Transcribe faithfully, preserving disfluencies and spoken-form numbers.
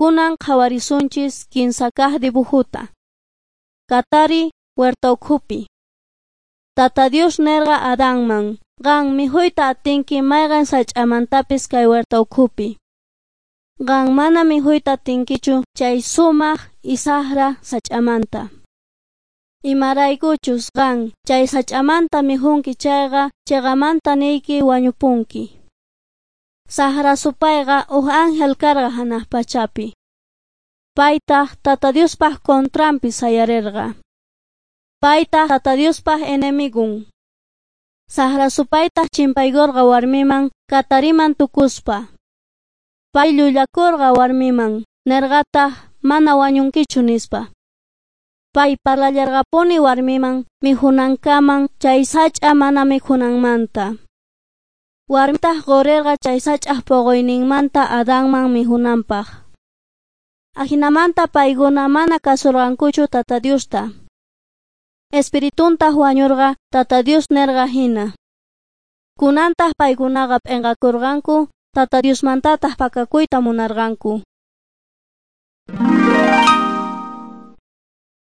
Kunan qhawarisunchis kinsa kaq dibujuta. Katari huerta ukhupi. Tata Dios nerqa Adanman, qan mikhuyta atinki mayqan sach'amantapis kay huerta ukhupi. Qan mana mikhuyta atinkichu chay sumaq y saqra sach'amanta. Imaraykuchus qan chay sach'amanta mikhunki chayqa chiqamanta niyki wañupunki. Saqra supayqa huk ángel karqa hanaq pachapi. Paytaq Tata Diospaq contranpi sayarirqa. Paytaq Tata Diospaq enemigun. Saqra supaytaq chimpaykurqa warmiman katariman tukuspa. Pay llullakurqa warmiman, nirqataq mana wañunkichu nispa. Pay parlallarqapuni warmiman mikhunankaman chay sach'a mana mikhunanmanta. Warmitaq qurirqa chay sach'aq puquyninmanta Adanman mikhunanpaq. Ajinamanta paykuna mana kasurqankuchu Tata Diosta. Espirituntaq wañurqa Tata Dios nirqa hina. Kunantaq paykunaqa p'inqakurqanku, Tata Diosmantataq pakakuyta munarqanku.